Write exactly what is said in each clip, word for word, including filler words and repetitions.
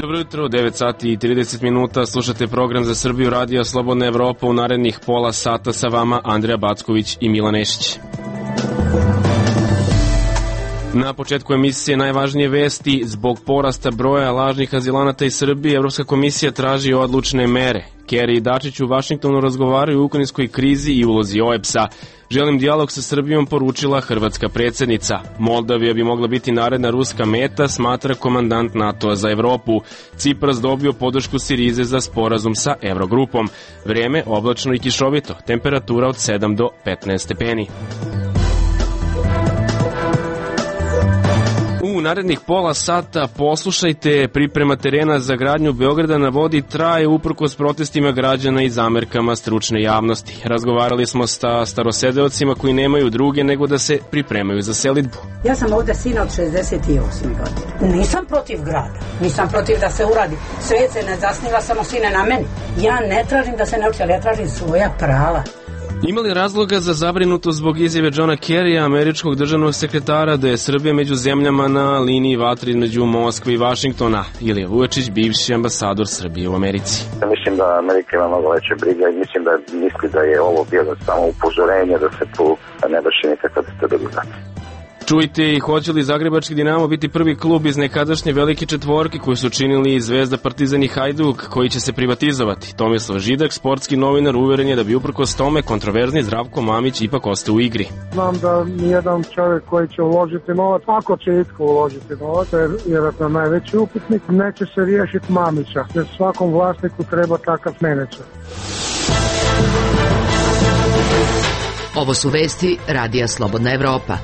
Dobro jutro, devet sati i trideset minuta, slušate program za Srbiju Radija Slobodna Evropa. U narednih pola sata sa vama Andreja Backović i Milan Nešić. Na početku emisije najvažnije vesti. Zbog porasta broja lažnih azilanata iz Srbije, Evropska komisija traži odlučne mere. Kerry i Dačić u Vašingtonu razgovaraju o ukrajinskoj krizi i ulozi O E B S-a. Želim dijalog sa Srbijom, poručila hrvatska predsjednica. Moldavija bi mogla biti naredna ruska meta, smatra komandant NATO-a za Evropu. Cipras dobio podršku Sirize za sporazum sa Eurogrupom. Vrijeme oblačno i kišovito, temperatura od sedam do petnaest stepeni. U narednih pola sata poslušajte, priprema terena za gradnju Beograda na vodi traje uprkos protestima građana i zamerkama stručne javnosti. Razgovarali smo sa starosedeocima koji nemaju druge nego da se pripremaju za selidbu. Ja sam ovde sina od šezdeset osme godine. Nisam protiv grada, nisam protiv da se uradi. Sve se ne zasniva samo sine na meni. Ja ne tražim da se ne uči, ali ja tražim svoja prava. Ima li razloga za zabrinutost zbog izjave Johna Kerrya, američkog državnog sekretara, da je Srbija među zemljama na liniji vatre između Moskve i Vašingtona? Ilija Vujačić, bivši ambasador Srbije u Americi. Ja mislim da Amerika ima mnogo veće briga i mislim da misli da je ovo bilo samo upozorenje da se tu ne vrši nikakva destabilizacija. Čujte i hoće li Zagrebački Dinamo biti prvi klub iz nekadašnje velike četvorke koju su činili Zvezda, Partizan i Hajduk, koji će se privatizovati? Tomislav Židak, sportski novinar, uveren je da bi uprkos tome kontroverzni Zdravko Mamić ipak ostao u igri. Znam da nijedan čovjek koji će uložiti novac, ako će itko uložiti novac, jer vjerojatno najveći upitnik, neće se riješiti Mamića, jer svakom vlasniku treba takav menadžer. Ovo su vesti Radija Slobodna Evropa.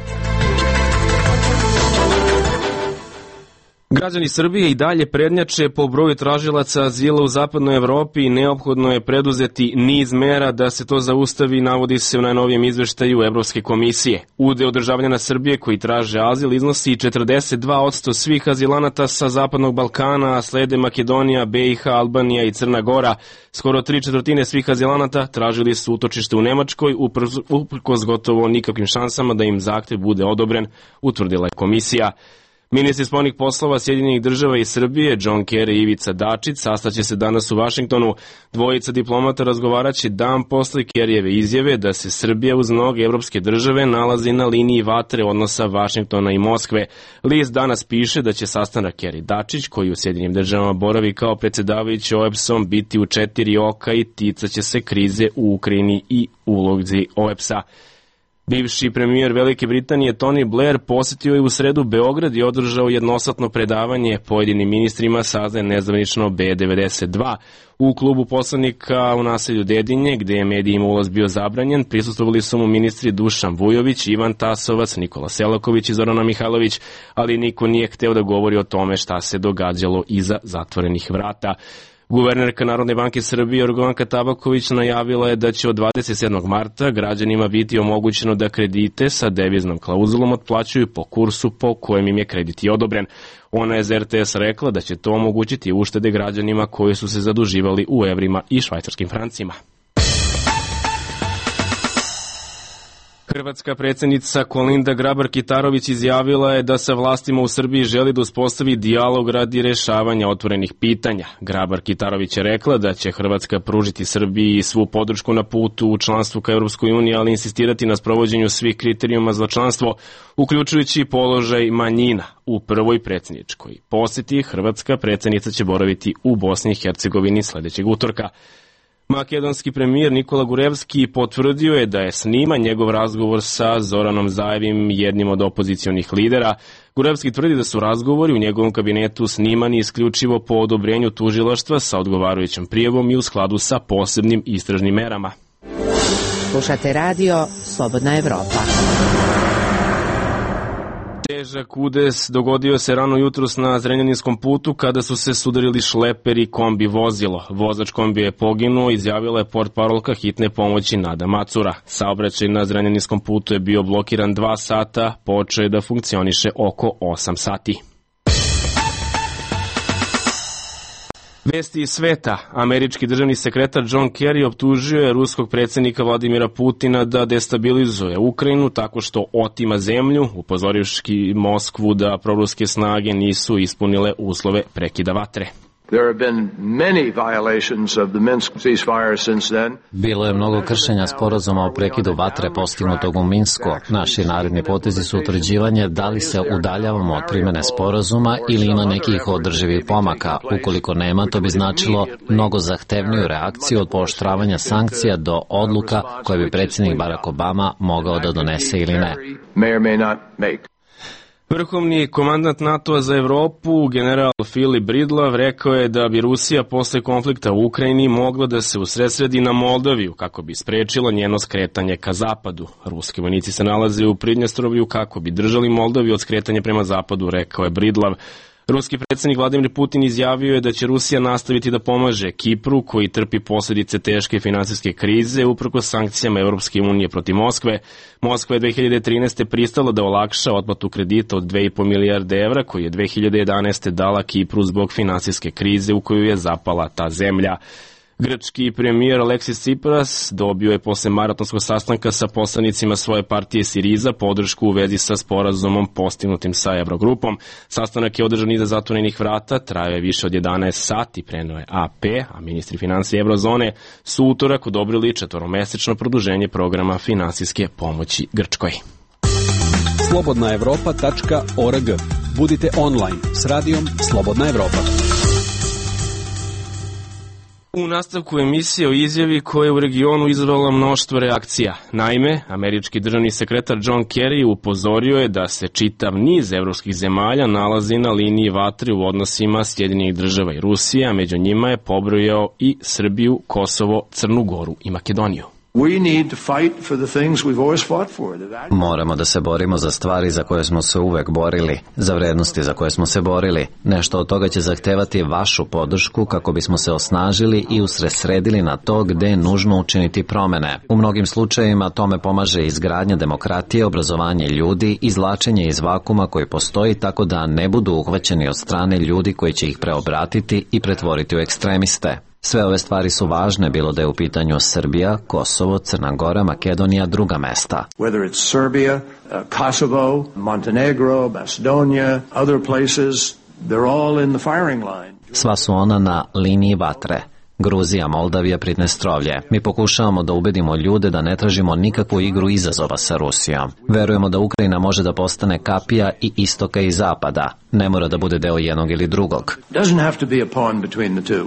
Građani Srbije i dalje prednjače po broju tražilaca azila u zapadnoj Evropi i neophodno je preduzeti niz mera da se to zaustavi, navodi se u najnovijem izveštaju Evropske komisije. Udeo državljana Srbije koji traže azil iznosi četrdeset dva posto svih azilanata sa zapadnog Balkana, a slede Makedonija, B i H, Albanija i Crna Gora. Skoro tri četvrtine svih azilanata tražili su utočište u Nemačkoj, uprkos gotovo nikakvim šansama da im zahtev bude odobren, utvrdila je komisija. Ministri spoljnih poslova Sjedinjenih država i Srbije, John Kerry i Ivica Dačić, sastaće se danas u Vašingtonu. Dvojica diplomata razgovaraće dan posle Kerryjeve izjave da se Srbija uz mnoge evropske države nalazi na liniji vatre odnosa Vašingtona i Moskve. List danas piše da će sastanak Kerry Dačić, koji u Sjedinjenim državama boravi kao predsjedavajući O E B S-om, biti u četiri oka i ticaće se krize u Ukrajini i ulozi O E B S-a. Bivši premijer Velike Britanije Tony Blair posjetio je u sredu Beograd i održao jednosatno predavanje pojedinim ministrima saznaje nezvanično B devedeset dva. U klubu poslanika u naselju Dedinje, gde je medijima ulaz bio zabranjen, prisustvovali su mu ministri Dušan Vujović, Ivan Tasovac, Nikola Selaković i Zorana Mihajlović, ali niko nije hteo da govori o tome šta se događalo iza zatvorenih vrata. Guvernerka Narodne banke Srbije Jorgovanka Tabaković najavila je da će od dvadeset sedmog marta građanima biti omogućeno da kredite sa deviznom klauzulom otplaćuju po kursu po kojem im je kredit i odobren. Ona je za R T S rekla da će to omogućiti uštede građanima koji su se zaduživali u evrima i švajcarskim francima. Hrvatska predsjednica Kolinda Grabar-Kitarović izjavila je da sa vlastima u Srbiji želi da uspostavi dijalog radi rešavanja otvorenih pitanja. Grabar-Kitarović je rekla da će Hrvatska pružiti Srbiji svu podršku na putu u članstvu ka Europskoj uniji, ali insistirati na sprovođenju svih kriterijuma za članstvo, uključujući položaj manjina. U prvoj predsjedničkoj posjeti Hrvatska predsjednica će boraviti u Bosni i Hercegovini sljedećeg utorka. Makedonski premijer Nikola Gurevski potvrdio je da je sniman njegov razgovor sa Zoranom Zaevim, jednim od opozicionih lidera. Gurevski tvrdi da su razgovori u njegovom kabinetu snimani isključivo po odobrenju tužilaštva sa odgovarajućom prijavom i u skladu sa posebnim istražnim merama. Slušate radio Slobodna Evropa. Težak udes dogodio se rano jutros na Zrenjaninskom putu kada su se sudarili šleper i kombi vozilo. Vozač kombija je poginuo, izjavila je portparolka hitne pomoći Nada Macura. Saobraćaj na Zrenjaninskom putu je bio blokiran dva sata, počeo je da funkcioniše oko osam sati. Vesti iz sveta. Američki državni sekretar John Kerry optužio je ruskog predsjednika Vladimira Putina da destabilizuje Ukrajinu tako što otima zemlju, upozorivši Moskvu da proruske snage nisu ispunile uslove prekida vatre. Bilo je mnogo kršenja sporazuma o prekidu vatre postignutog u Minsku. Naši naredni potezi su utvrđivanje da li se udaljavamo od primene sporazuma ili ima nekih održivih pomaka. Ukoliko nema, to bi značilo mnogo zahtevniju reakciju od pooštravanja sankcija do odluka koje bi predsjednik Barack Obama mogao da donese ili ne. Vrhovni komandant NATO-a za Evropu, general Filip Bridlav, rekao je da bi Rusija posle konflikta u Ukrajini mogla da se usredsredi na Moldaviju kako bi sprečila njeno skretanje ka zapadu. Ruski vojnici se nalaze u Pridnjestrovlju kako bi držali Moldaviju od skretanja prema zapadu, rekao je Bridlav. Ruski predsjednik Vladimir Putin izjavio je da će Rusija nastaviti da pomaže Kipru, koji trpi posljedice teške finansijske krize uprkos sankcijama Evropske unije protiv Moskve. Moskva je dve hiljade trinaeste. pristala da olakša otplatu kredita od dve i po milijarde evra koji je dve hiljade jedanaeste. dala Kipru zbog finansijske krize u koju je zapala ta zemlja. Grčki premijer Aleksis Tsipras dobio je posle maratonskog sastanka sa poslanicima svoje partije Siriza podršku u vezi sa sporazumom postignutim sa Evrogrupom. Sastanak je održan iza zatvorenih vrata, trajao je više od jedanaest sati, preneo je A P, a ministri financije Evrozone su utorak odobrili četvoromesečno produženje programa finansijske pomoći Grčkoj. slobodna evropa tačka org. Budite online s radijom Slobodna Evropa. U nastavku emisije o izjavi koja je u regionu izazvala mnoštvo reakcija. Naime, američki državni sekretar John Kerry upozorio je da se čitav niz evropskih zemalja nalazi na liniji vatre u odnosima Sjedinjenih država i Rusije, a među njima je pobrojao i Srbiju, Kosovo, Crnu Goru i Makedoniju. Moramo da se borimo za stvari za koje smo se uvek borili, za vrednosti za koje smo se borili. Nešto od toga će zahtevati vašu podršku kako bismo se osnažili i usredsredili na to gde je nužno učiniti promene. U mnogim slučajevima tome pomaže izgradnja demokratije, obrazovanje ljudi, izvlačenje iz vakuma koji postoji tako da ne budu uhvaćeni od strane ljudi koji će ih preobratiti i pretvoriti u ekstremiste. Sve ove stvari su važne, bilo da je u pitanju Srbija, Kosovo, Crna Gora, Makedonija, druga mesta. Whether it's Serbia, Kosovo, Montenegro, Macedonia, other places, they're all in the firing line. Sva su ona na liniji vatre. Gruzija, Moldavija, Pridnjestrovlje. Mi pokušavamo da ubedimo ljude da ne tražimo nikakvu igru izazova sa Rusijom. Verujemo da Ukrajina može da postane kapija i istoka i zapada. Ne mora da bude deo jednog ili drugog. Doesn't have to be a pawn between the two.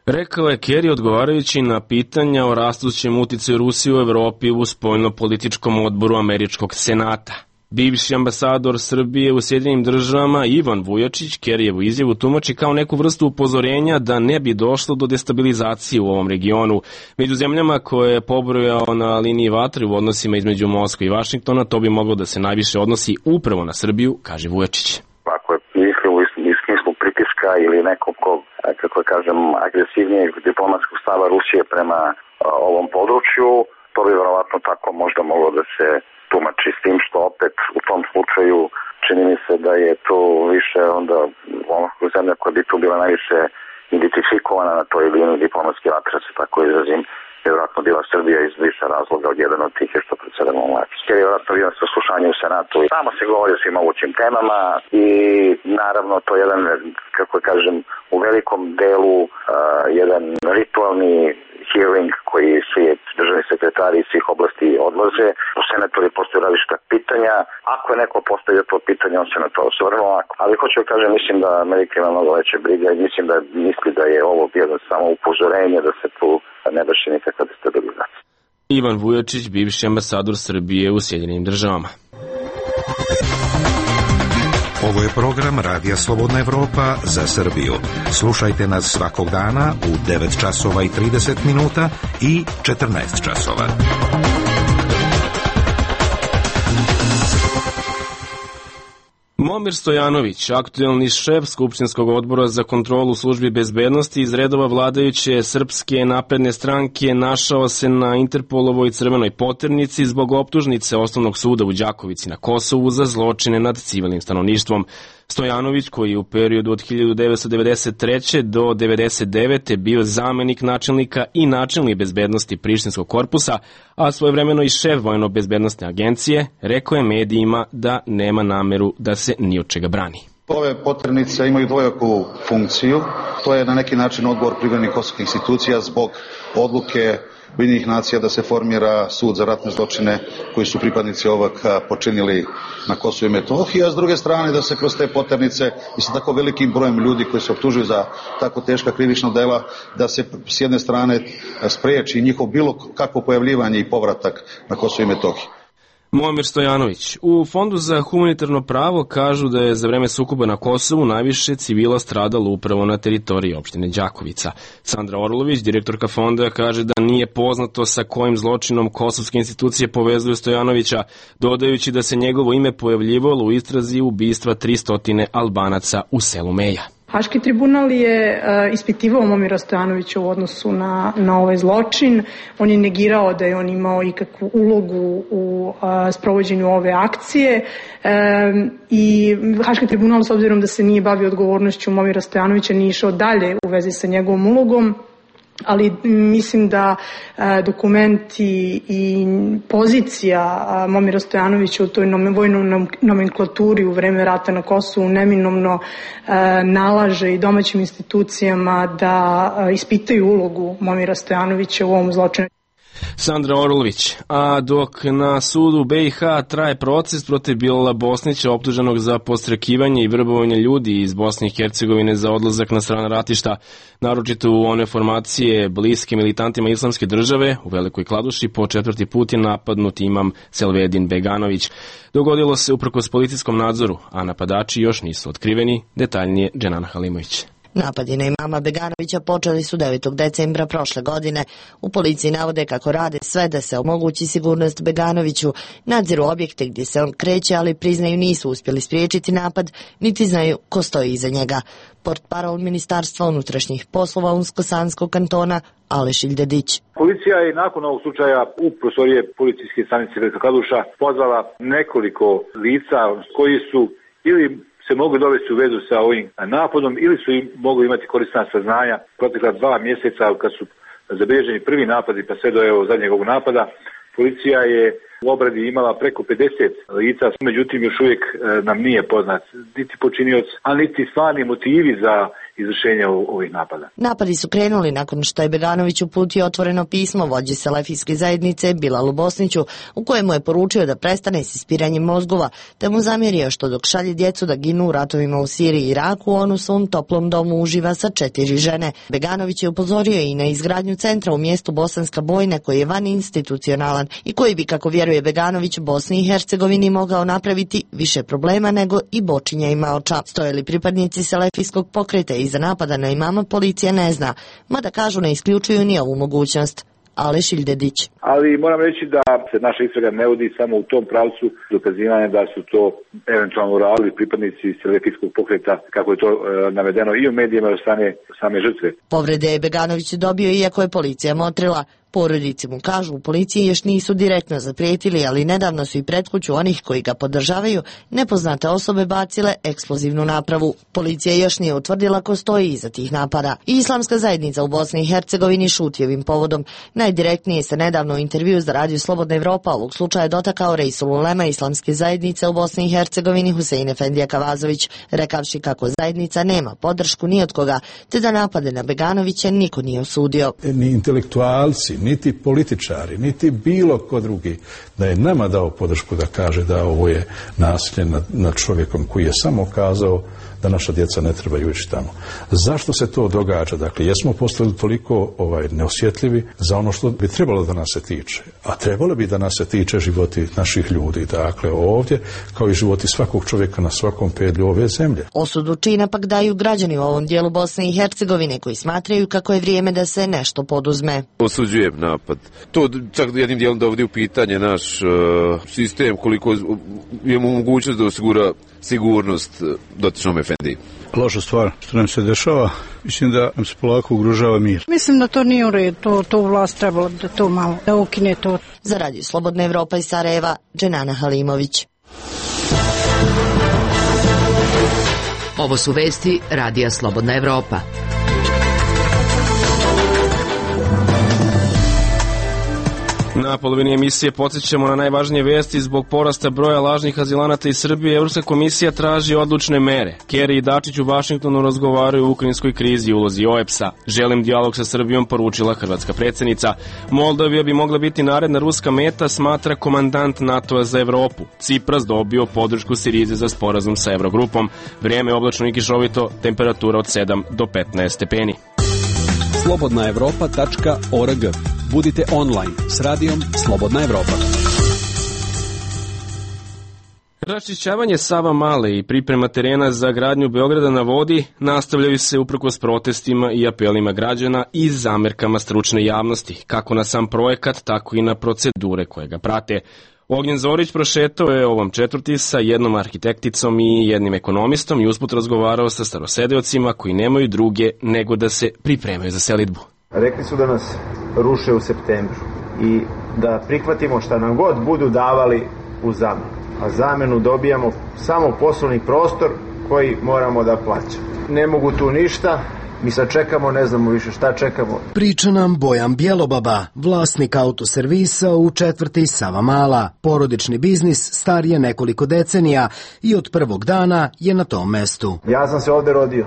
Rekao je Kerry odgovarajući na pitanja o rastućem uticaju Rusije u Evropi u spoljno-političkom odboru Američkog senata. Bivši ambasador Srbije u Sjedinjenim državama Ivan Vujačić Kerryevu izjavu tumači kao neku vrstu upozorenja da ne bi došlo do destabilizacije u ovom regionu. Među zemljama koje je pobrojao na liniji vatre u odnosima između Moskve i Vašingtona, to bi moglo da se najviše odnosi upravo na Srbiju, kaže Vujačić. Ako je mislio u smislu pritiska ili nekog ko, kako kažem, agresivnijeg diplomatskog stava Rusije prema a, ovom području, to bi verovatno tako možda moglo da se tumači, s tim što opet u tom slučaju čini mi se da je to više onda ono zemlja koja bi tu bila najviše identifikovana na toj liniji diplomatske vatre, se tako izrazim, je vjerojatno bila Srbija iz više razloga, od jedan od tih je što predsedamo vlači. Jer je vjerojatno bio saslušanje u Senatu i tamo se govori o svim mogućim temama i naravno to je jedan, kako kažem, u velikom delu uh, jedan ritualni hearing koji svi državni sekretari iz svih oblasti odlaze. U Senatoru postoje različita pitanja. Ako je neko postavio to pitanje, on se na to osvrnuo. Ali hoću da kažem, mislim da Amerika ima mnogo veće briga i mislim da misli da je ovo bilo samo upozorenje da se tu ne vrši nikakva destabilizacija. Ivan Vujačić, bivši ambasador Srbije u Sjedinjenim državama. Ovo je program Radija Slobodna Evropa za Srbiju. Slušajte nas svakog dana u devet časova i trideset minuta i četrnaest časova. Momir Stojanović, aktuelni šef Skupštinskog odbora za kontrolu službi bezbednosti iz redova vladajuće Srpske napredne stranke, našao se na Interpolovoj crvenoj poternici zbog optužnice Osnovnog suda u Đakovici na Kosovu za zločine nad civilnim stanovništvom. Stojanović, koji je u periodu od hiljadu devetsto devedeset treće do devedeset devete bio zamenik načelnika i načelnik bezbednosti Prištinskog korpusa, a svojevremeno i šef vojno-bezbednostne agencije, rekao je medijima da nema nameru da se ni od čega brani. Ove poternice imaju dvojaku funkciju. To je na neki način odgovor privremenih kosovskih institucija zbog odluke Ujedinjenih nacija da se formira sud za ratne zločine koji su pripadnici ovog počinili na Kosovu i Metohiji, a s druge strane da se kroz te poternice i sa tako velikim brojem ljudi koji se optužuju za tako teška krivična dela, da se s jedne strane spreči njihov bilo kakvo pojavljivanje i povratak na Kosovu i Metohiji. Momir Stojanović. U Fondu za humanitarno pravo kažu da je za vreme sukoba na Kosovu najviše civila stradalo upravo na teritoriji opštine Đakovica. Sandra Orlović, direktorka fonda, kaže da nije poznato sa kojim zločinom kosovske institucije povezuju Stojanovića, dodajući da se njegovo ime pojavljivalo u istrazi ubistva tristo Albanaca u selu Meja. Haški tribunal je uh, ispitivao Momira Stojanovića u odnosu na, na ovaj zločin. On je negirao da je on imao ikakvu ulogu u uh, sprovođenju ove akcije um, i Haški tribunal, s obzirom da se nije bavio odgovornošću Momira Stojanovića, nije išao dalje u vezi sa njegovom ulogom. Ali mislim da e, dokumenti i pozicija a, Momira Stojanovića u toj vojnoj nomenklaturi u vreme rata na Kosovu neminovno e, nalaže i domaćim institucijama da e, ispitaju ulogu Momira Stojanovića u ovom zločinu. Sandra Orlović. A dok na sudu B i H traje proces protiv Bilala Bosnića, optuženog za podstrekivanje i vrbovanje ljudi iz Bosne i Hercegovine za odlazak na strana ratišta, naročito u one formacije bliske militantima Islamske države, u Velikoj Kladuši po četvrti put je napadnut imam Selvedin Beganović. Dogodilo se uprkos policijskom nadzoru, a napadači još nisu otkriveni. Detaljnije Dženana Halimović. Napadi na imama Beganovića počeli su devetog decembra prošle godine. U policiji navode kako rade sve da se omogući sigurnost Beganoviću, nadziru objekte gdje se on kreće, ali priznaju nisu uspjeli spriječiti napad, niti znaju ko stoji iza njega. Portparol Ministarstva unutrašnjih poslova Unsko-Sanskog kantona Aleš Iljedić. Policija je nakon ovog slučaja u prostorije policijske stanice Velika Kladuša pozvala nekoliko lica koji su ili se mogu dovesti u vezu sa ovim napadom ili su im mogli imati korisna saznanja protekla dva mjeseca kad su zabilježeni prvi napadi pa sve do evo zadnjeg ovog napada. Policija je u obradi imala preko pedeset lica, međutim još uvijek nam nije poznat niti počinioc, a niti stvarni motivi za izvršenje ovih napada. Napadi su krenuli nakon što je Beganović uputio otvoreno pismo vođi selefijske zajednice Bilalu Bosniću, u kojemu je poručio da prestane s ispiranjem mozgova, te mu zamjerio što dok šalje djecu da ginu u ratovima u Siriji i Iraku, on u svom toplom domu uživa sa četiri žene. Beganović je upozorio i na izgradnju centra u mjestu Bosanska Bojna koji je van institucionalan i koji bi, kako vjeruje Beganović, Bosni i Hercegovini mogao napraviti više problema nego i bočinja i maoča. Stoje li pripadnici selefijskog pokreta iza napada na imama, policija ne zna, mada kažu ne isključuju ni ovu mogućnost. Aleš Iljedić. Ali moram reći da se naša istraga ne vodi samo u tom pravcu dokazivanja da su to eventualno uradili pripadnici selefijskog pokreta, kako je to e, navedeno i u medijima od strane same žrtve. Povrede je Beganović dobio iako je policija motrila. Porodici mu kažu u policiji još nisu direktno zaprijetili, ali nedavno su i pred kuću onih koji ga podržavaju nepoznate osobe bacile eksplozivnu napravu. Policija još nije utvrdila ko stoji iza tih napada. I Islamska zajednica u Bosni i Hercegovini šuti ovim povodom. Najdirektnije se nedavno u intervju za Radio Slobodna Evropa ovog slučaja dotakao Reisul Ulema Islamske zajednice u Bosni i Hercegovini Husein Efendija Kavazović, rekavši kako zajednica nema podršku ni od koga, te da napade na Beganovića niko nije osudio. Ni intelektualci, niti političari, niti bilo ko drugi da je nama dao podršku da kaže da ovo je nasilje nad, nad čovjekom koji je samo kazao da naša djeca ne trebaju ići tamo. Zašto se to događa? Dakle, jesmo postali toliko ovaj, neosjetljivi za ono što bi trebalo da nas se tiče. A trebalo bi da nas se tiče životi naših ljudi. Dakle, ovdje, kao i životi svakog čovjeka na svakom pedlju ove zemlje. Osudu čina pak daju građani u ovom dijelu Bosne i Hercegovine koji smatraju kako je vrijeme da se nešto poduzme. Osuđujem napad. To čak jednim dijelom dovodi u pitanje naš uh, sistem, koliko imamo mogućnost da osigura sigurnost dotičnom efendiji. Loša stvar što nam se dešava, mislim da nam se polako ugrožava mir. Mislim da to nije u redu, to, to vlast trebalo da to malo, da ukine to. Za Radio Slobodna Evropa iz Sarajeva, Dženana Halimović. Ovo su vesti Radija Slobodna Evropa. Na polovini emisije podsjećamo na najvažnije vesti. Zbog porasta broja lažnih azilanata iz Srbije, Evropska komisija traži odlučne mere. Kerry i Dačić u Vašingtonu razgovaraju o ukrajinskoj krizi i ulozi O E B S-a. Želim dijalog sa Srbijom, poručila hrvatska predsjednica. Moldavija bi mogla biti naredna ruska meta, smatra komandant NATO-a za Evropu. Cipras dobio podršku Sirize za sporazum sa Evrogrupom. Vrijeme oblačno i kišovito, temperatura od sedam do petnaest stepeni. slobodna evropa tačka org. Budite online s radijom Slobodna Evropa. Raščišćavanje Sava Male i priprema terena za gradnju Beograda na vodi nastavljaju se uprkos protestima i apelima građana i zamerkama stručne javnosti, kako na sam projekat, tako i na procedure koje ga prate. Ognjen Zorić prošetao je ovom četvrti sa jednom arhitekticom i jednim ekonomistom i usput razgovarao sa starosedeocima koji nemaju druge nego da se pripremaju za selidbu. Rekli su da nas ruše u septembru i da prihvatimo šta nam god budu davali u zamenu. A zamenu dobijamo samo poslovni prostor koji moramo da plaćamo. Ne mogu tu ništa, mi sad čekamo, ne znamo više šta čekamo. Priča nam Bojan Bjelobaba, vlasnik autoservisa u četvrti Sava Mala. Porodični biznis star je nekoliko decenija i od prvog dana je na tom mestu. Ja sam se ovde rodio,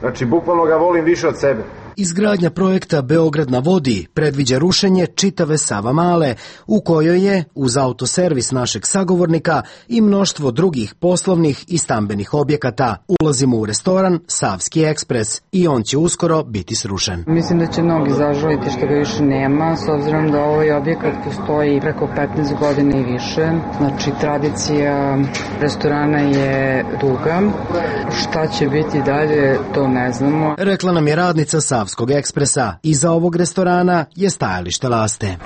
znači bukvalno ga volim više od sebe. Izgradnja projekta Beograd na vodi predviđa rušenje čitave Sava Male, u kojoj je, uz autoservis našeg sagovornika, i mnoštvo drugih poslovnih i stambenih objekata. Ulazimo u restoran Savski ekspres i on će uskoro biti srušen. Mislim da će mnogi zažaliti što ga više nema, s obzirom da ovaj objekat postoji preko petnaest godina i više. Znači, tradicija restorana je duga. Šta će biti dalje, to ne znamo. Rekla nam je radnica Savskog ekspresa. Iza ovog restorana je stajalište Laste.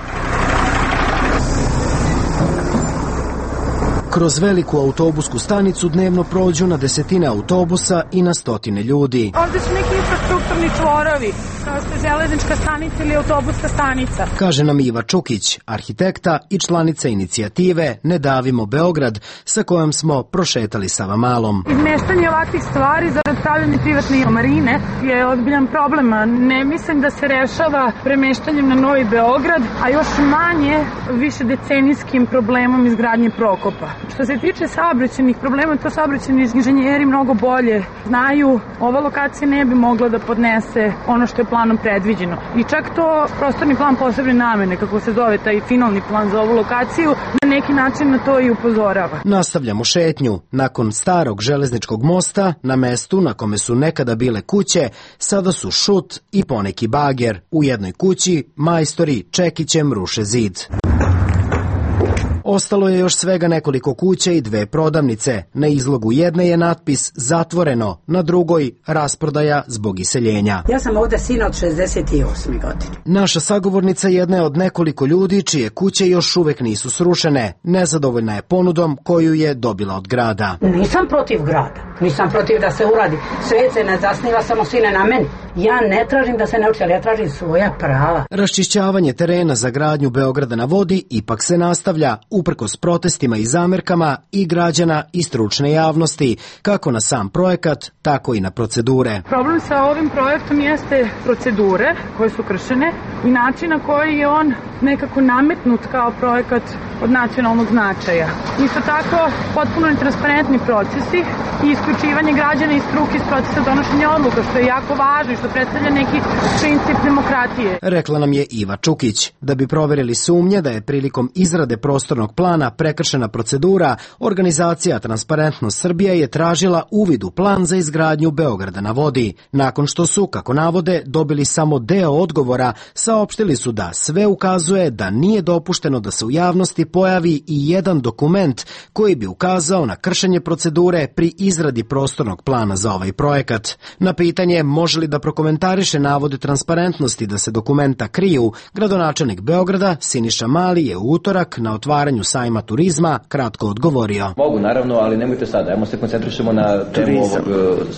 Kroz veliku autobusku stanicu dnevno prođu na desetine autobusa i na stotine ljudi. Ovde su neki infrastrukturni čvorovi, kao što je železnička stanica ili autobuska stanica. Kaže nam Iva Čukić, arhitekta i članica inicijative Ne davimo Beograd, sa kojom smo prošetali Sava Malom. Izmeštanje ovakvih stvari zarad pravljanja privatne marine je ozbiljan problem. Ne mislim da se rešava premeštanjem na Novi Beograd, a još manje više decenijskim problemom izgradnje Prokopa. Što se tiče saobraćajnih problema, to saobraćajni inženjeri mnogo bolje znaju. Ova lokacija ne bi mogla da podnese ono što je planom predviđeno. I čak to prostorni plan posebne namene, kako se zove taj finalni plan za ovu lokaciju, na neki način na to i upozorava. Nastavljamo šetnju. Nakon starog železničkog mosta, na mestu na kome su nekada bile kuće, sada su šut i poneki bager. U jednoj kući majstori čekićem ruše zid. Ostalo je još svega nekoliko kuća i dve prodavnice. Na izlogu jedne je natpis zatvoreno, na drugoj rasprodaja zbog iseljenja. Ja sam ovde sina od šezdeset osme godine. Naša sagovornica jedna je od nekoliko ljudi čije kuće još uvek nisu srušene. Nezadovoljna je ponudom koju je dobila od grada. Nisam protiv grada, nisam protiv da se uradi. Svet se ne zasniva samo sine na meni. Ja ne tražim da se ne uči, ali ja tražim svoja prava. Raščišćavanje terena za gradnju Beograda na vodi ipak se nastavlja, uprkos protestima i zamerkama i građana i stručne javnosti, kako na sam projekat, tako i na procedure. Problem sa ovim projektom jeste procedure koje su kršene i način na koji je on nekako nametnut kao projekat od nacionalnog značaja. Isto tako, potpuno netransparentni procesi i isključivanje građana i struke iz procesa donošenja odluka, što je jako važno i što predstavlja neki princip demokratije. Rekla nam je Iva Čukić. Da bi proverili sumnje da je prilikom izrade prostornog plana prekršena procedura, organizacija Transparentnost Srbija je tražila uvid u plan za izgradnju Beograda na vodi. Nakon što su, kako navode, dobili samo deo odgovora, saopštili su da sve ukazuje da nije dopušteno da se u javnosti pojavi i jedan dokument koji bi ukazao na kršenje procedure pri izradi prostornog plana za ovaj projekat. Na pitanje može li da prokomentariše navode Transparentnosti da se dokumenta kriju, gradonačelnik Beograda Siniša Mali je u utorak na otvaranju sajma turizma kratko odgovorio. Mogu, naravno, ali nemojte sada. Ajmo se koncentrišemo na temu ovog,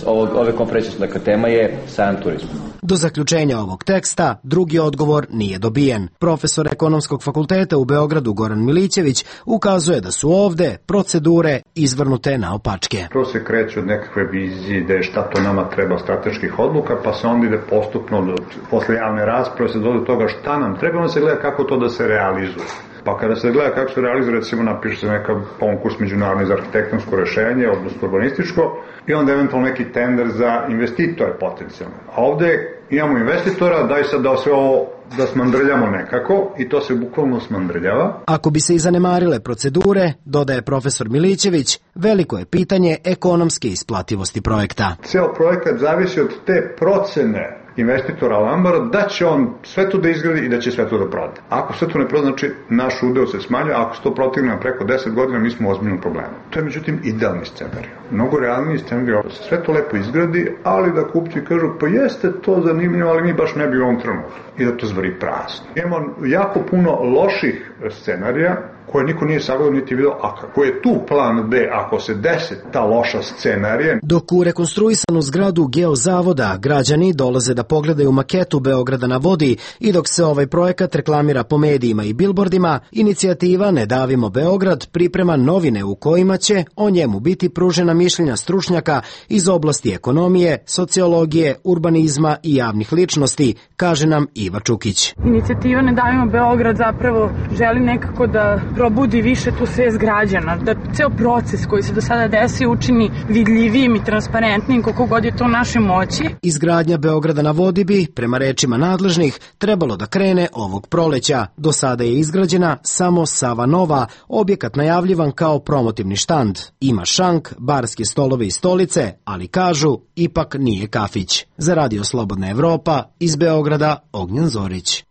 ovog, ove konferencije. Dakle, tema je sajam turizma. Do zaključenja ovog teksta drugi odgovor nije dobijen. Profesor Ekonomskog fakulteta u Beogradu Goran Milić Milićević ukazuje da su ovde procedure izvrnute naopačke. To se kreće od nekakve vizije, ideje šta to nama treba, strateških odluka, pa se onda ide postupno, do, posle javne rasprave se dođe do toga šta nam treba, onda se gleda kako to da se realizuje. Pa kada se gleda kako se realizuje, recimo napiše se neka konkurs međunarodni za arhitektonsko rešenje, odnosno urbanističko, i onda eventualno neki tender za investitore potencijalno. A ovde imamo investitora, daj sad da sve ovo da smandrljamo nekako i to se bukvalno smandrljava. Ako bi se i zanemarile procedure, dodaje profesor Milićević, veliko je pitanje ekonomske isplativosti projekta. Ceo projekat zavisi od te procene investitora Lambara da će on sve to da izgradi i da će sve to da proda. Ako sve to ne proda, znači naš udeo se smanjuje, a ako se to protigne na preko deset godina, mi smo u ozbiljnom problemu. To je međutim idealni scenarij. Mnogo realniji scenarij da se sve to lepo izgradi, ali da kupci kažu pa jeste to zanimljivo, ali mi baš ne bi u ovom trenutku. I da to zvari prazno. Imamo jako puno loših scenarija koje niko nije sagledao niti video, a kako je tu plan B ako se desi ta loša scenarija. Dok u rekonstruisanu zgradu Geozavoda građani dolaze da pogledaju maketu Beograda na vodi i dok se ovaj projekat reklamira po medijima i bilbordima, inicijativa Ne davimo Beograd priprema novine u kojima će o njemu biti pružena mišljenja stručnjaka iz oblasti ekonomije, sociologije, urbanizma i javnih ličnosti, kaže nam Iva Čukić. Inicijativa Ne davimo Beograd zapravo želi nekako da probudi više tu svest građana, da ceo proces koji se do sada desi učini vidljivijim i transparentnim koliko god je to u našoj moći. Izgradnja Beograda na vodi bi, prema rečima nadležnih, trebalo da krene ovog proleća. Do sada je izgrađena samo Sava Nova, objekat najavljivan kao promotivni štand. Ima šank, barske stolove i stolice, ali kažu, ipak nije kafić. Za Radio Slobodna Evropa, iz Beograda, Ognjen Zorić.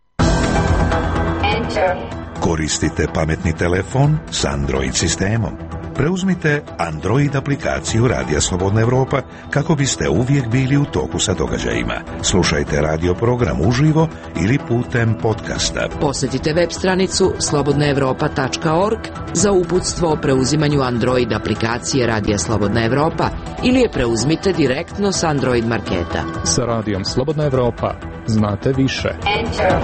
Koristite pametni telefon s Android sistemom. Preuzmite Android aplikaciju Radija Slobodna Evropa kako biste uvijek bili u toku sa događajima. Slušajte radio program uživo ili putem podcasta. Posjetite web stranicu slobodna evropa tačka org za uputstvo o preuzimanju Android aplikacije Radija Slobodna Evropa ili je preuzmite direktno s Android marketa. Sa Radijom Slobodna Evropa znate više. Enter.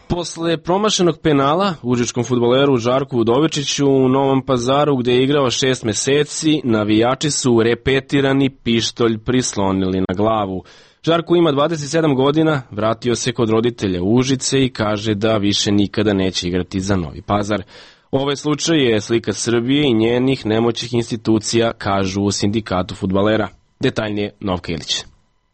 Posle promašenog penala užičkom fudbaleru Žarku Udovičiću u Novom Pazaru, gde je igrao šest meseci, navijači su repetirani pištolj prislonili na glavu. Žarko ima dvadeset sedam godina, vratio se kod roditelja u Užice i kaže da više nikada neće igrati za Novi Pazar. Ovaj slučaj je slika Srbije i njenih nemoćnih institucija, kažu u sindikatu fudbalera. Detaljnije Novka Ilić.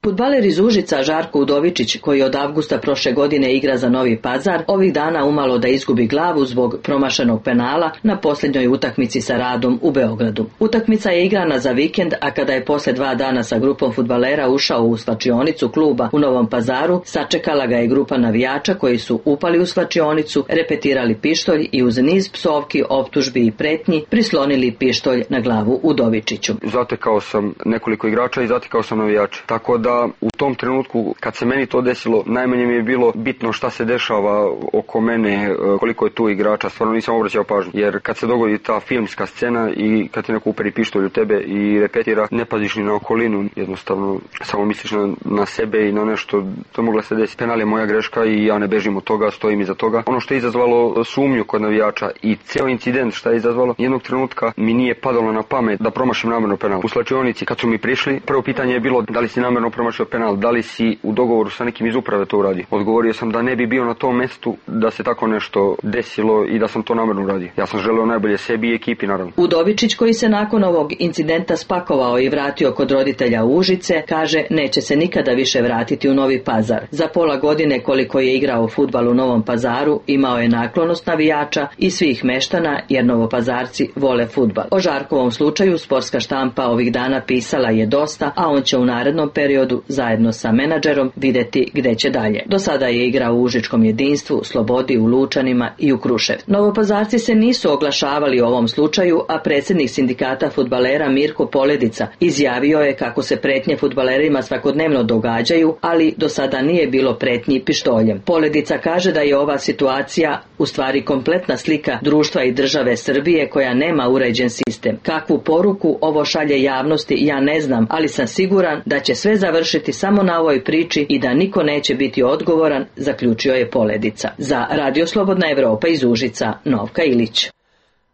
Fudbaler iz Užica Žarko Udovičić, koji od avgusta prošle godine igra za Novi Pazar, ovih dana umalo da izgubi glavu zbog promašenog penala na posljednjoj utakmici sa Radom u Beogradu. Utakmica je igrana za vikend, a kada je posle dva dana sa grupom fudbalera ušao u svačionicu kluba u Novom Pazaru, sačekala ga je grupa navijača koji su upali u svačionicu, repetirali pištolj i uz niz psovki, optužbi i pretnji prislonili pištolj na glavu Udovičiću. Zatekao sam nekoliko igrača i zatekao sam navijača, tako da u tom trenutku kad se meni to desilo, najmanje mi je bilo bitno šta se dešava oko mene, koliko je tu igrača, stvarno nisam obraćao pažnju, jer kad se dogodi ta filmska scena i kad ti neko uperi pištolj u tebe i repetira, ne paziš ni na okolinu, jednostavno samo misliš na, na sebe i na nešto, to mogla se desiti. Penal je moja greška i ja ne bežim od toga, stojim iza toga. Ono što je izazvalo sumnju kod navijača i ceo incident šta je izazvalo, jednog trenutka mi nije padalo na pamet da promašim namerno penal. U slačionici kad su mi prišli, prvo pitanje je bilo da li si namerno promašio penal, da li si u dogovoru sa nekim iz uprave to uradio. Odgovorio sam da ne bi bio na tom mestu da se tako nešto desilo i da sam to namerno uradio. Ja sam želeo najbolje sebi i ekipi, naravno. Udovičić, koji se nakon ovog incidenta spakovao i vratio kod roditelja u Užice, kaže neće se nikada više vratiti u Novi Pazar. Za pola godine koliko je igrao fudbal u Novom Pazaru, imao je naklonost navijača i svih meštana, jer Novopazarci vole fudbal. O Žarkovom slučaju sportska štampa ovih dana pisala je dosta, a on će u narednom periodu zajedno sa menadžerom videti gde će dalje. Do sada je igrao u Užičkom jedinstvu, Slobodi, u Lučanima i u Kruševcu. Novopazarci se nisu oglašavali o ovom slučaju, a predsjednik sindikata fudbalera Mirko Poledica izjavio je kako se pretnje fudbalerima svakodnevno događaju, ali do sada nije bilo pretnji pištoljem. Poledica kaže da je ova situacija u stvari kompletna slika društva i države Srbije koja nema uređen sistem. Kakvu poruku ovo šalje javnosti ja ne znam, ali sam siguran da će sve završiti završiti samo na ovoj priči i da niko neće biti odgovoran, zaključio je Poledica. Za Radio Slobodna Evropa iz Užica, Novka Ilić.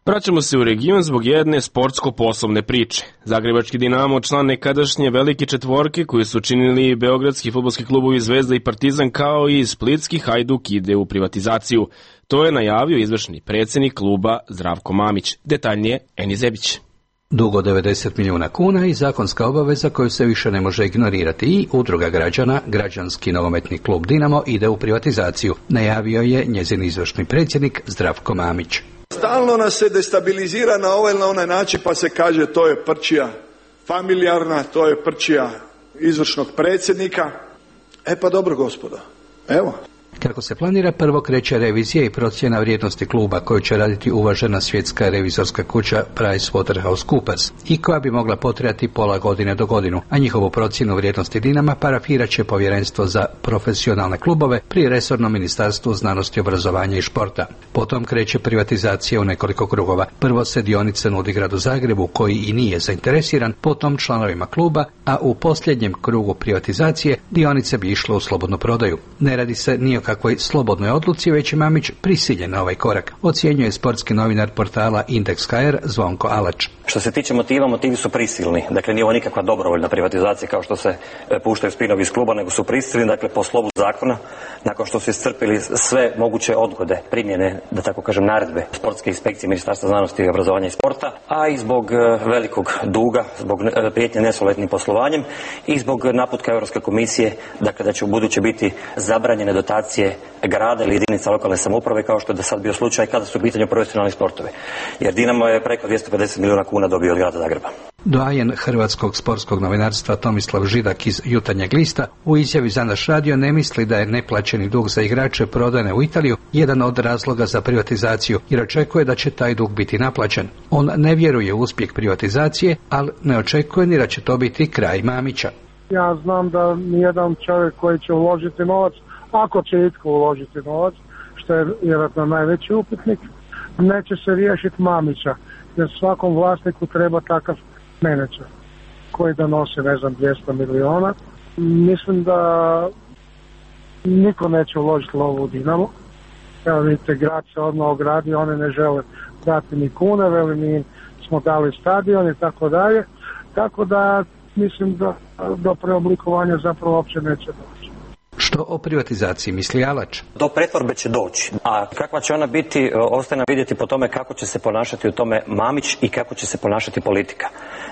Vraćamo se u region zbog jedne sportsko-poslovne priče. Zagrebački Dinamo, član nekadašnje velike četvorke koju su činili beogradski fudbalski klubovi Zvezda i Partizan, kao i splitski Hajduk, ide u privatizaciju. To je najavio izvršni predsjednik kluba Zdravko Mamić. Detaljnije Eni Zebić. Dugo devedeset milijuna kuna i zakonska obaveza koju se više ne može ignorirati i udruga građana, građanski nogometni klub Dinamo ide u privatizaciju, najavio je njezin izvršni predsjednik Zdravko Mamić. Stalno nas se destabilizira na ovaj ili na onaj način, pa se kaže to je prčija familijarna, to je prčija izvršnog predsjednika. E pa dobro gospodo, evo. Kako se planira, prvo kreće revizija i procjena vrijednosti kluba koju će raditi uvažena svjetska revizorska kuća PricewaterhouseCoopers i koja bi mogla potrajati pola godine do godinu, a njihovu procjenu vrijednosti Dinama parafirat će Povjerenstvo za profesionalne klubove pri resornom ministarstvu znanosti, obrazovanja i športa. Potom kreće privatizacija u nekoliko krugova. Prvo se dionice nudi gradu Zagrebu koji i nije zainteresiran, potom članovima kluba, a u posljednjem krugu privatizacije dionice bi išle u slobodnu prodaju. Ne radi se ni o kakvoj slobodnoj odluci, već je Mamić prisiljen na ovaj korak, ocjenjuje sportski novinar portala Indeks H R Zvonko Alač. Što se tiče motiva, motivi su prisilni. Dakle, nije ovo nikakva dobrovoljna privatizacija kao što se puštaju spinovi iz kluba, nego su prisilni, dakle, po slovu zakona, nakon što su iscrpili sve moguće odgode, primjene, da tako kažem, naredbe sportske inspekcije Ministarstva znanosti, obrazovanja i sporta, a i zbog velikog duga, zbog prijetnje nesolidnim poslovanjem i zbog naputka Europske komisije, dakle, da će u buduće biti zabranjene dotacije grada ili jedinica lokalne samouprave, kao što je do sad bio slučaj kada su u pitanju profesionalni sportovi. Jer Dinamo je preko dvjesto pedeset milijuna kuna dobio od grada Zagreba. Doajen hrvatskog sportskog novinarstva Tomislav Židak iz Jutarnjeg lista u izjavi za naš radio ne misli da je neplaćeni dug za igrače prodane u Italiju jedan od razloga za privatizaciju, jer očekuje da će taj dug biti naplaćen. On ne vjeruje u uspjeh privatizacije, ali ne očekuje ni da će to biti kraj Mamića. Ja znam da nijedan čovjek koji će uložiti novac, ako će itko uložiti novac, što je vjerojatno najveći upitnik, neće se riješiti Mamića, jer svakom vlasniku treba takav menadžer koji da nosi, ne znam, dvjesto miliona. Mislim da niko neće uložiti lovu u Dinamo. Evo vidite, grad se odmah ogradio, oni ne žele dati ni kune, veli mi smo dali stadion i tako dalje. Tako da mislim da do preoblikovanja zapravo uopće neće doći. Što o privatizaciji misli Alač? Do pretvorbe će doći, a kakva će ona biti, ostaje nam vidjeti po tome kako će se ponašati u tome Mamić i kako će se ponašati politika.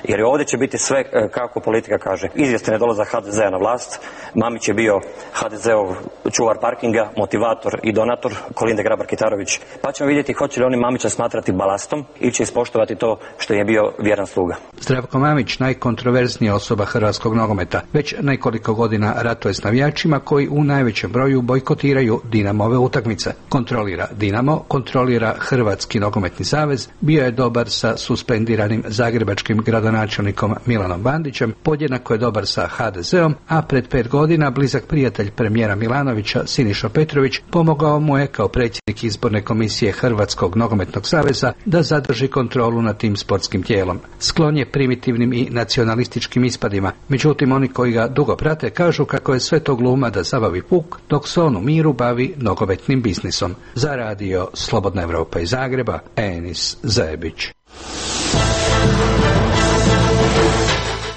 Jer ovdje će biti sve kako politika kaže. Izvjestan je dolazak H D Z-a na vlast, Mamić je bio H D Z-ov čuvar parkinga, motivator i donator, Kolinde Grabar-Kitarović. Pa ćemo vidjeti hoće li oni Mamića smatrati balastom ili će ispoštovati to što je bio vjeran sluga. Zdravko Mamić, najkontroverznija osoba hrvatskog nogometa, već nekoliko godina ratuje s navijačima koji u najvećem broju bojkotiraju Dinamove utakmice. Kontrolira Dinamo, kontrolira Hrvatski nogometni savez, bio je dobar sa suspendiranim zagrebačkim gradonačelnikom Milanom Bandićem, podjednako je dobar sa H D Z-om, a pred pet godina blizak prijatelj premijera Milanovića Siniša Petrović pomogao mu je kao predsjednik izborne komisije Hrvatskog nogometnog saveza da zadrži kontrolu nad tim sportskim tijelom. Sklon je primitivnim i nacionalističkim ispadima, međutim oni koji ga dugo prate kažu kako je sve to gluma da zabavi puk, dok se on u miru bavi nogometnim biznisom. Za radio Slobodna Evropa iz Zagreba, Enis Zajebić.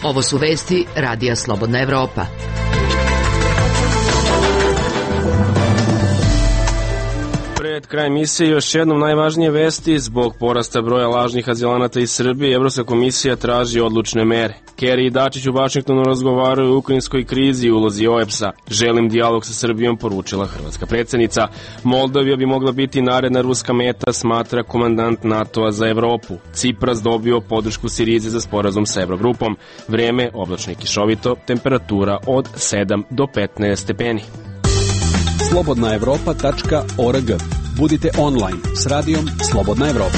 Ovo su vesti Radija Slobodna Evropa. Pred kraj emisije još jednom najvažnije vesti. Zbog porasta broja lažnih azilanata iz Srbije, Evropska komisija traži odlučne mere. Kerry i Dačić u Vašingtonu razgovaraju o ukrajinskoj krizi i ulozi O E B S-a. Želim dijalog sa Srbijom, poručila hrvatska predsjednica. Moldavija bi mogla biti naredna ruska meta, smatra komandant NATO-a za Evropu. Cipras dobio podršku Sirize za sporazum sa Eurogrupom. Vrijeme oblačno i kišovito, temperatura od sedam do petnaest stepeni. slobodna evropa tačka org. Budite online s radijom Slobodna Evropa.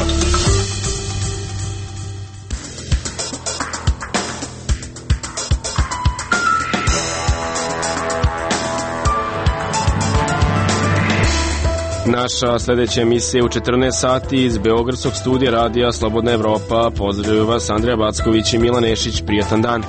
Naša sljedeća emisija u četrnaest sati iz Beogradskog studija Radija Slobodna Evropa. Pozdravljaju vas Andrija Backović i Milan Nešić. Prijatan dan.